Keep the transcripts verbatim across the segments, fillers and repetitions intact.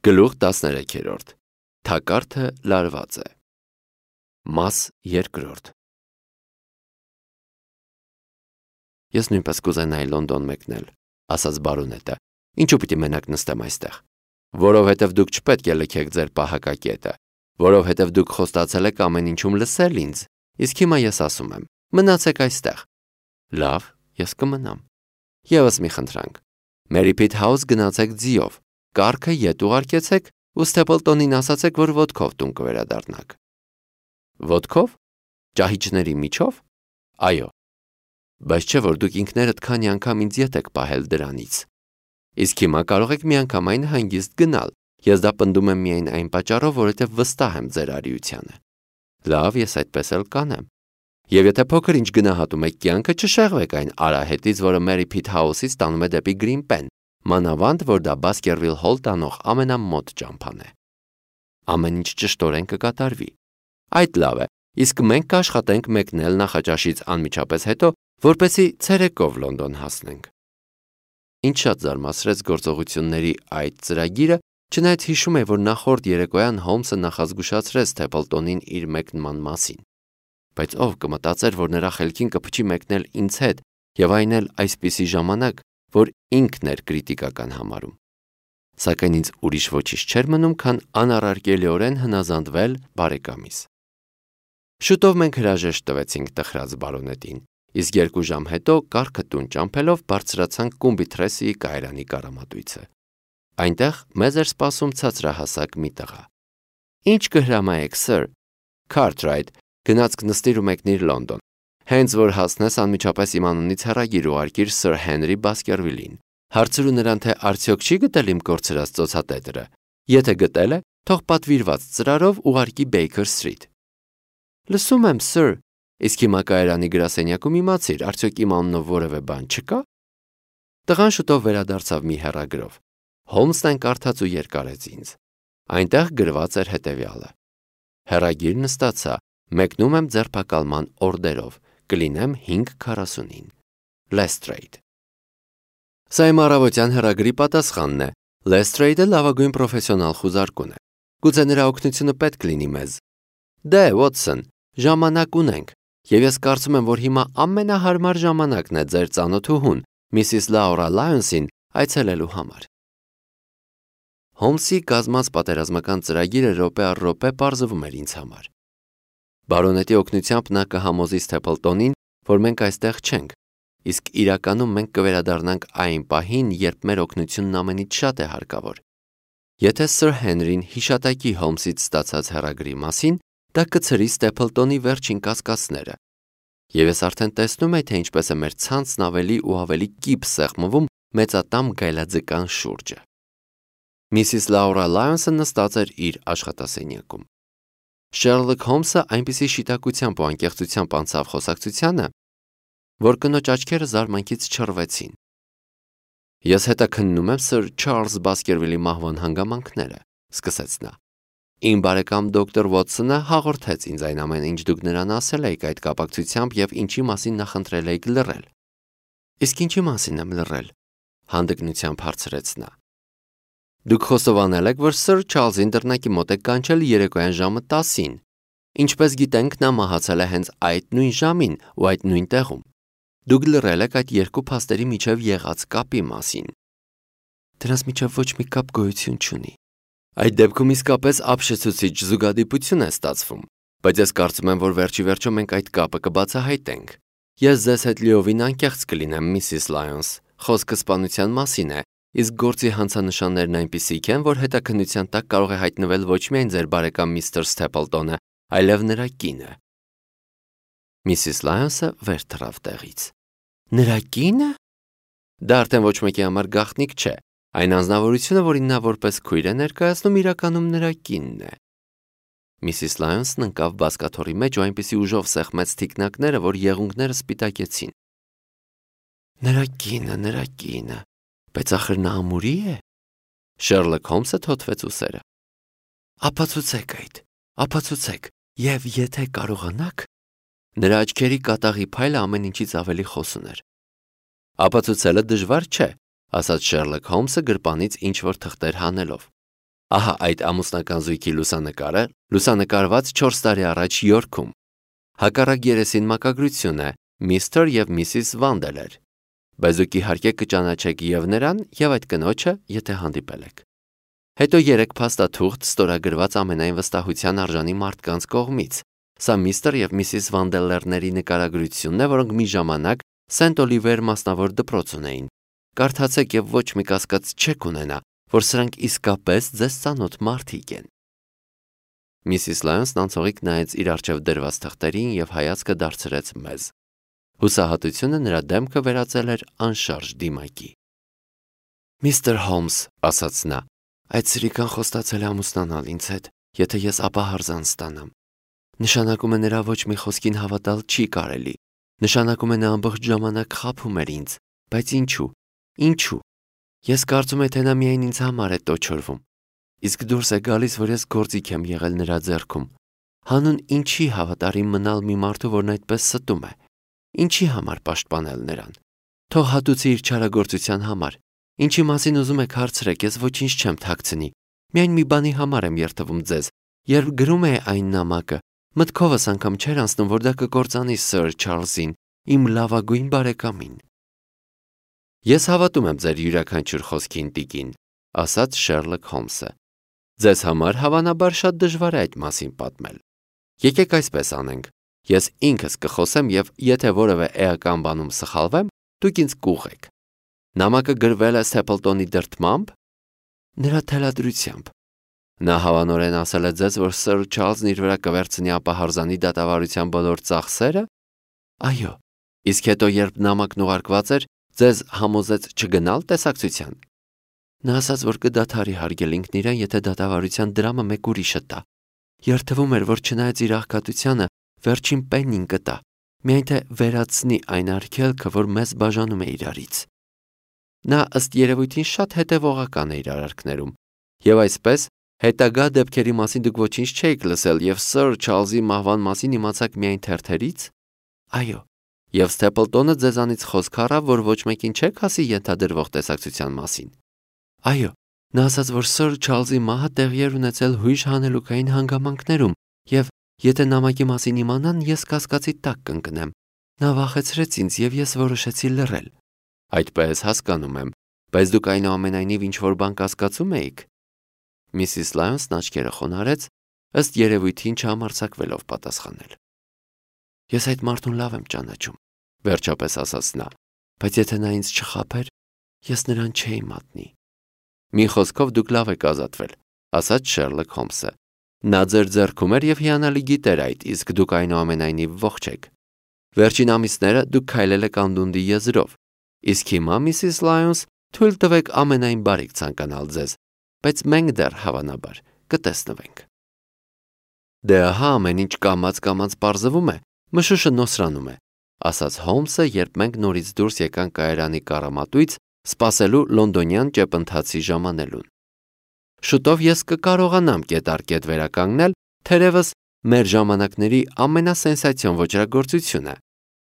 Գլուխ տասներեքերորդ Թակարդը լարված է Մաս երկրորդ Ես նույնպես կուզենայի Լոնդոն մեկնել, ասաց բարոնետը, ինչու պիտի մենակ նստեմ այստեղ, որովհետև դուք չպետք է լքեք ձեր պահակակետը, որովհետև դուք խոստացել եք ամեն ինչում լսել ինձ, իսկ հիմա ես ասում եմ, մնացեք այստեղ։ Լավ, ես կմնամ։ Եվս մի խնդրանք, Մերիփիթ Հաուս գնացեք ձիով, կառքը ետ ուղարկեցեք ու Սթեփլտոնին ասացեք, որ ոտքով տուն կվերադառնաք։ Ոտքով? Ճահիճների միջով? Այո։ Բայց չէ, որ դուք ինքներդ քանի անգամ ինձ ետ եք պահել դրանից։ Իսկ հիմա կարող եք միանգամայն հանգիստ գնալ, ես դա պնդում եմ միայն այն պատճառով, որովհետև վստահ եմ ձեր արիությանը։ Լավ, ես այդպես էլ կանեմ։ Եվ եթե փոքր ինչ գնահատում եք կյանքը, չշեղվեք այն արահետից, որը Մերիփիթ Հաուսից տանում է դեպի Գրինպեն, մանավանդ, որ դա Բասկերվիլ Հոլ տանող ամենամոտ ճամփան է։ Ամեն ինչ ճշտորեն կկատարվի։ Այդ լավ է, իսկ մենք կաշխատենք մեկնել նախաճաշից անմիջապես հետո, որպեսզի ցերեկով Լոնդոն հասնենք։ Ինչ շատ զարմացրեց գործողությունների այդ ծրագիրը, չնայած հիշում է, որ նախորդ երեկոյան Հոլմսը նախազգուշացրեց Սթեփլտոնին իր մեկնման մասին։ Բայց ով կմտածեր, որ նրա խելքին կփչի մեկնել ինձ հետ, եւ այն էլ այսպիսի ժամանակ, որ ինքն էր կրիտիկական համարում։ Սակայն ինձ ուրիշ ոչինչ չէր մնում, քան անառարկելիորեն հնազանդվել բարեկամիս։ Շուտով մենք հրաժեշտ տվեցինք տխրած բարոնետին, իսկ երկու ժամ հետո կառքը տուն ճամփելով բարձրացանք Կումբիթրեսիի կայարանի կառամատույցը։ Այնտեղ մեզ էր սպասում ցածրահասակ մի տղա։ Ինչ կհրամայեք, սըր։ Քարթրայթ, գնացք նստիր ու մեկնիր Լոնդոն։ Հենց որ հասնես անմիջապես իմ անունից հեռագիր ուղարկիր սըր Հենրի Բասկերվիլին։ Հարցրու նրան, թե արդյոք չի գտել իմ կորցրած ծոցատետրը։ Եթե գտել է, թող պատվիրված ծրարով ուղարկի Բեյքեր Սթրիթ։ Լսում եմ, սըր, իսկ հիմա կայարանի գրասենյակում իմացիր, արդյոք իմ անունով որևէ բան չկա։ Տղան շուտով վերադարձավ մի հեռագրով։ Հոլմսն այն կարդաց ու երկարեց ինձ։ Այնտեղ գրված էր հետևյալը. Հեռագիրն ստացա, մեկնում եմ ձերբակալման օրդերով, կլինեմ հինգ քառասունին։ Լեսթրեյդ։ Սա իմ առավոտյան հեռագրի պատասխանն է։ Լեսթրեյդը լավագույն պրոֆեսիոնալ խուզարկուն է։ Գուցե նրա օգնությունը պետք լինի մեզ։ Դե, Ուոտսոն, ժամանակ ունենք, եւ ես կարծում եմ, որ հիմա ամենահարմար ժամանակն է ձեր ծանոթուհուն, Միսիս Լաուրա Լայոնսին, այցելելու համար։ Հոլմսի կազմած պատերազմական ծրագիրը րոպե առ րոպե պարզվում էր ինձ համար։ Բարոնետի օգնությամբ նա կհամոզի Սթեփլտոնին, որ մենք այստեղ չենք, իսկ իրականում մենք կվերադառնանք այն պահին, երբ մեր օգնությունն ամենից շատ է հարկավոր։ Եթե սըր Հենրին հիշատակի Հոլմսից ստացած հեռագրի մասին, դա կցրի Սթեփլտոնի վերջին կասկածները։ Եվ ես արդեն տեսնում եմ, թե ինչպես է մեր ցանցն ավելի ու ավելի կիպ սեղմվում մեծատամ գայլաձկան շուրջը։ Միսիս Լաուրա Լայոնսը նստած էր իր աշխատասենյակում։ Շերլոկ Հոլմսը այնպիսի շիտակությամբ ու անկեղծությամբ անցավ խոսակցությանը, որ կնոջ աչքերը զարմանքից չռվեցին։ Ես հետաքննում եմ սըր Չարլզ Բասկերվիլի մահվան հանգամանքները, սկսեց նա։ Իմ բարեկամ դոկտոր Ուոտսոնը հաղորդեց ինձ այն ամենը, ինչ դուք նրան ասել եք այդ կապակցությամբ եւ ինչի մասին նախընտրել եք լռել։ Իսկ ինչի մասին եմ լռել, հանդգնությամբ հարցրեց նա։ Դուք խոստովանել եք, որ սըր Չարլզին դռնակի մոտ եք կանչել երեկոյան ժամը տասին։ Ինչպես գիտենք, նա մահացել է հենց այդ նույն ժամին ու այդ նույն տեղում։ Դուք լռել եք այդ երկու փաստերի միջև եղած կապի մասին։ Դրանց միջև ոչ մի կապ գոյություն չունի։ Այդ դեպքում իսկապես ապշեցուցիչ զուգադիպություն է ստացվում, բայց ես կարծում եմ, որ վերջի վերջո մենք այդ կապը կբացահայտենք։ Ես ձեզ հետ լիովին անկեղծ կլինեմ, Միսիս Լայոնս, խոսքը սպանության մասին է, իսկ գործի հանցանշաններն այնպիսիք են, որ հետաքննության տակ կարող է հայտնվել ոչ միայն ձեր բարեկամ միստր Սթեփլտոնը, այլև նրա կինը։ Միսիս Լայոնսը վեր թռավ տեղից։ Նրա կինը։ Դա արդեն ոչ մեկի համար գաղտնիք չէ։ Այն անձնավորությունը, որին նա որպես քույր է ներկայացնում, իրականում նրա կինն է։ Միսիս Լայոնսն ընկավ բազկաթոռի մեջ ու այնպիսի ուժով սեղմեց թիկնակները, որ եղունգները սպիտակեցին։ Նրա կինը, նրա կինը, բայց ախր նա ամուրի է։ Շերլոկ Հոլմսը թոթվեց ուսերը։ Ապացուցեք այդ, ապացուցեք, եւ եթե կարողանաք։ Նրա աչքերի կատաղի փայլը ամեն ինչից ավելի խոսուն էր։ Ապացուցելը դժվար չէ, ասաց Շերլոկ Հոլմսը գրպանից ինչ-որ թղթեր հանելով։ Ահա այդ ամուսնական զույգի լուսանկարը լուսանկարված չորս տարի առաջ Յորքում։ Հակառակ երեսին մակագրություն է միստր և միսիս Վանդելեր, բայց դուք իհարկե կճանաչեք և նրան, և այդ կնոջը, եթե հանդիպել եք։ Հետո երեք փաստաթուղթ ստորագրված ամենայն վստահության արժանի մարդկանց կողմից։ Սա միստր և միսիս Վանդելերների նկարագրությունն է, որոնք մի ժամանակ Սենտ Օլիվեր մասնավոր դպրոց ունեին։ Կարդացեք և ոչ մի կասկած չեք ունենա, որ սրանք իսկապես ձեզ ծանոթ մարդիկ են։ Միսիս Լայոնսն անցողիկ նայեց իր առջև դրված թղթերին և հայացքը դարձրեց մեզ։ Հուսահատությունը նրա դեմքը վերածել էր անշարժ դիմակի։ Միստր Հոլմս, ասաց նա, այդ սրիկան խոստացել է ամուսնանալ ինձ հետ, եթե ես ապահարզան ստանամ։ Նշանակում է նրա ոչ մի խոսքին հավատալ չի կարելի։ Նշանակում է նա ամբողջ ժամանակ խաբում էր ինձ, բայց ինչու, ինչու։ Ես կարծում եմ, թե նա միայն ինձ համար է տոչորվում։ Իսկ դուրս է գալիս, որ ես գործիք եմ եղել նրա ձեռքում։ Հանուն ինչի հավատարիմ մնալ մի մարդու, որն այդպես ստում է։ Ինչի համար պաշտպանել նրան։ Թող հատուցի իր չարագործության համար։ Ինչի մասին ուզում եք հարցրեք, ես ոչինչ չեմ թաքցնի։ Միայն մի բանի համար եմ երդվում ձեզ։ Երբ գրում է այն նամակը, մտքովս անգամ չէր անցնում, որ դա կկործանի Սըր Չարլզին, իմ լավագույն բարեկամին։ Ես հավատում եմ ձեր յուրաքանչյուր խոսքին, տիկին, ասաց Շերլոկ Հոլմսը։ Ձեզ համար հավանաբար շատ դժվար է այդ մասին պատմել։ Եկեք այսպես անենք։ Ես ինքս կխոսեմ և եթե որևէ էական բանում սխալվեմ, դուք ինձ կուղղեք։ Նամակը գրվել է Սթեփլտոնի դրդմամբ։ Նրա թելադրությամբ։ Նա հավանորեն ասել է ձեզ, որ Սըր Չարլզն իր վրա կվերցնի ապահարզանի դատավարության բոլոր ծախսերը։ Այո։ Իսկ հետո, երբ նամակն ուղարկված էր, ձեզ համոզեց չգնալ տեսակցության։ Նա ասաց, որ կդադարի հարգել ինքն իրեն, եթե դատավարության դրամը մեկ ուրիշը տա։ Երդվում էր, որ չնայած իր աղքատությանը, վերջին պեննին կտա, միայն թե վերացնի այն արգելքը, որ մեզ բաժանում է իրարից։ Նա ըստ երևույթին շատ հետևողական է իր արարքներում, և այսպես հետագա դեպքերի մասին դուք ոչինչ չէիք լսել և Սըր Չարլզի մահվան մասին իմացաք միայն թերթերից։ Այո, և Սթեփլտոնը ձեզանից խոսք առավ, որ ոչ մեկին չեք ասի ենթադրվող տեսակցության մասին։ Այո, նա ասաց, որ Սըր Չարլզի մահը տեղի էր ունեցել հույժ հանելուկային հանգամանքներում, և եթե նամակի մասին իմանան, ես կասկածի տակ կընկնեմ։ Նա վախեցրեց ինձ, և ես որոշեցի լռել։ Այդպես հասկանում եմ, բայց դուք այնուամենայնիվ ինչ-որ բան կասկածում էիք։ Միսիս Լայոնսն աչքերը խոնարհեց, ըստ երևույթին չհամարձակվելով պատասխանել։ Ես այդ մարդուն լավ եմ ճանաչում, վերջապես ասաց նա, բայց եթե նա ինձ չխաբեր, ես նրան չէի մատնի։ Մի խոսքով դուք լավ եք ազատվել, ասաց Շերլոկ Հոլմսը։ Նա ձեր ձեռքում էր և հիանալի գիտեր այդ, իսկ դուք այնուամենայնիվ ողջ եք։ Վերջին ամիսները դուք քայլել եք անդունդի եզրով, իսկ հիմա, Միսիս Լայոնս, թույլ տվեք ամենայն բարիք ցանկանալ ձեզ, բայց մենք դեռ հավանաբար կտեսնվենք։ Դե ահա ամեն ինչ կամաց-կամաց պարզվում է, մշուշը նոսրանում է, ասաց Հոլմսը, երբ մենք նորից դուրս եկանք կայարանի կառամատույց, սպասելու լոնդոնյան ճեպընթացի ժամանելուն։ Շուտով ես կկարողանամ կետառկետ վերականգնել, թերևս մեր ժամանակների ամենասենսացիոն ոճրագործությունը։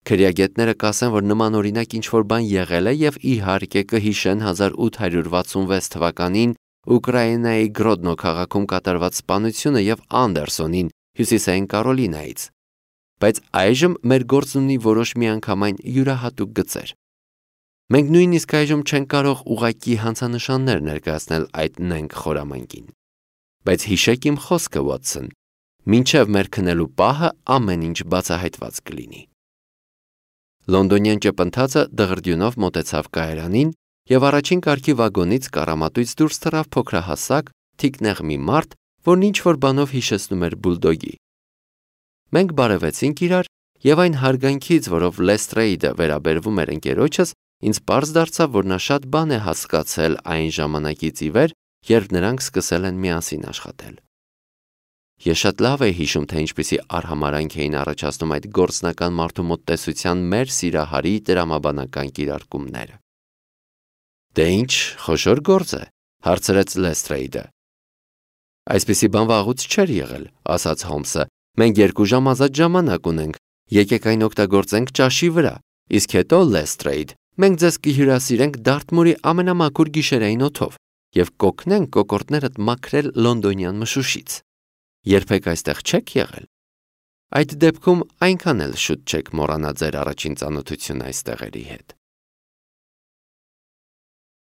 Քրեագետները կասեն, որ նմանօրինակ ինչ-որ բան եղել է և իհարկե կհիշեն հազար ութ հարյուր վաթսունվեց թվականին Ուկրաինայի Գրոդնո քաղաքում կատարված սպանությունը և Անդերսոնին Հյուսիսային Կարոլինայից։ Բայց այժմ մեր գործն ունի որոշ միանգամայն յուրահատուկ գծեր։ Մենք նույնիսկ այժմ չենք կարող ուղղակի հանցանշաններ ներկայացնել այդ նենգ խորամանկին։ Բայց հիշեք իմ խոսքը, Վոթսոն, մինչև մեր քնելու պահը ամեն ինչ բացահայտված կլինի։ Լոնդոնյան ճեպընթացը դղրդյունով մոտեցավ կայարանին և առաջին կարգի վագոնից կառամատույց դուրս թռավ փոքրահասակ, թիկնեղ մի մարդ, որն ինչ-որ բանով հիշեցնում էր բուլդոգի։ Մենք բարևեցինք իրար, և այն հարգանքից, որով Լեստրեյդը վերաբերվում էր ընկերոջս, ինձ պարզ դարձավ, որ նա շատ բան է հասկացել այն ժամանակից ի վեր, երբ նրանք սկսել են միասին աշխատել։ Ես շատ լավ էի հիշում, թե ինչպիսի արհամարհանք էին առաջացնում այդ գործնական մարդու մոտ տեսության մեր սիրահարի տրամաբանական կիրարկումները։ Դե ինչ, խոշոր գործ է, հարցրեց Լեստրեյդը։ Այսպիսի բան վաղուց չէր եղել, ասաց Հոլմսը։ Մենք երկու ժամ ազատ ժամանակ ունենք, եկեք այն օգտագործենք ճաշի վրա, իսկ հետո, Լեստրեյդ, մենք ձեզ կհյուրասիրենք Դարթմուրի ամենամաքուր գիշերային օդով, եւ կօգնեն կոկորդներդ մաքրել լոնդոնյան մշուշից։ Երբեք այստեղ չեք եղել։ Այդ դեպքում այնքան էլ շուտ չեք մոռանա ձեր առաջին ծանոթությունը այս տեղերի հետ։